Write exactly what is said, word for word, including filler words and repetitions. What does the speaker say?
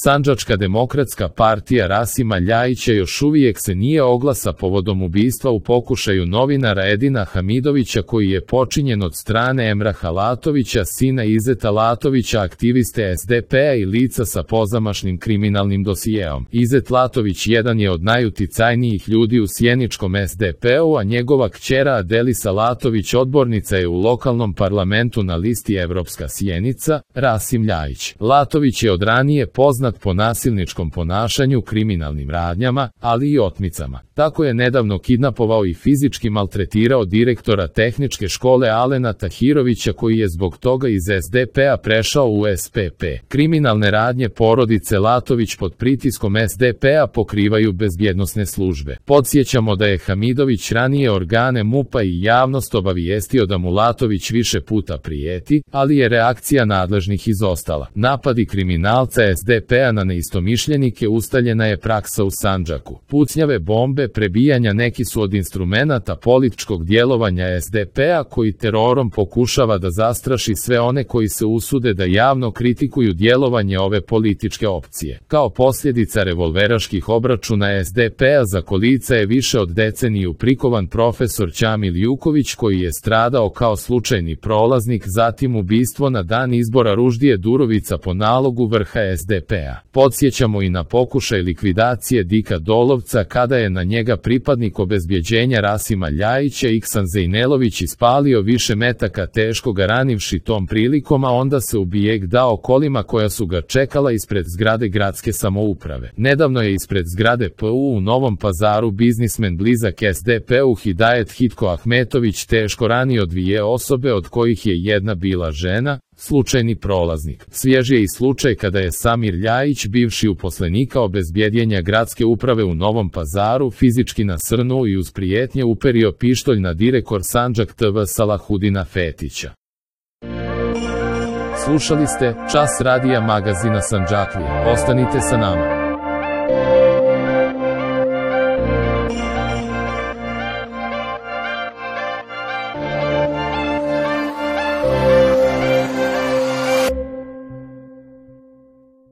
Sandžačka demokratska partija Rasima Ljajića još uvijek se nije oglasa povodom ubistva u pokušaju novinara Edina Hamidovića koji je počinjen od strane Emraha Latovića, sina Izeta Latovića, aktiviste es de pe a i lica sa pozamašnim kriminalnim dosijeom. Izet Latović jedan je od najuticajnijih ljudi u sjeničkom es de pe u, a njegova kćera Adelisa Latović odbornica je u lokalnom parlamentu na listi Evropska Sjenica. Rasim Ljajić. Latović je od ranije poznat po nasilničkom ponašanju, kriminalnim radnjama, ali i otmicama. Tako je nedavno kidnapovao i fizički maltretirao direktora tehničke škole Alena Tahirovića koji je zbog toga iz es de pe a prešao u es pe pe. Kriminalne radnje porodice Latović pod pritiskom es de pe a pokrivaju bezbjednosne službe. Podsjećamo da je Hamidović ranije organe mupa i javnost obavijestio da mu Latović više puta prijeti, ali je reakcija nadležnih izostala. Napadi kriminalca es de pe a na neistomišljenike ustaljena je praksa u Sandžaku. Pucnjave, bombe, prebijanja neki su od instrumenata političkog djelovanja es de pe a koji terorom pokušava da zastraši sve one koji se usude da javno kritikuju djelovanje ove političke opcije. Kao posljedica revolveraških obračuna es de pe a za kolica je više od deceniju prikovan profesor Ćamil Juković koji je stradao kao slučajni prolaznik, zatim ubistvo na dan izbora Ruždije Durovica po nalogu vrha es de pe a. Podsjećamo i na pokušaj likvidacije Dika Dolovca kada je na njega pripadnik obezbjeđenja Rasima Ljajića Iksan Zejnelović ispalio više metaka teško ga ranivši tom prilikom, a onda se u bijeg dao kolima koja su ga čekala ispred zgrade gradske samouprave. Nedavno je ispred zgrade pe u u Novom Pazaru biznismen blizak es de pe u Hidajet Hitko Ahmetović teško ranio dvije osobe od kojih je jedna bila žena, slučajni prolaznik. Svjež je i slučaj kada je Samir Ljajić, bivši uposlenika obezbjeđenja gradske uprave u Novom Pazaru, fizički nasrnuo i uz prijetnje uperio pištolj na direktor Sandžak te ve Salahudina Fetića. Slušali ste Čas radija magazina Sandžaklije. Ostanite sa nama.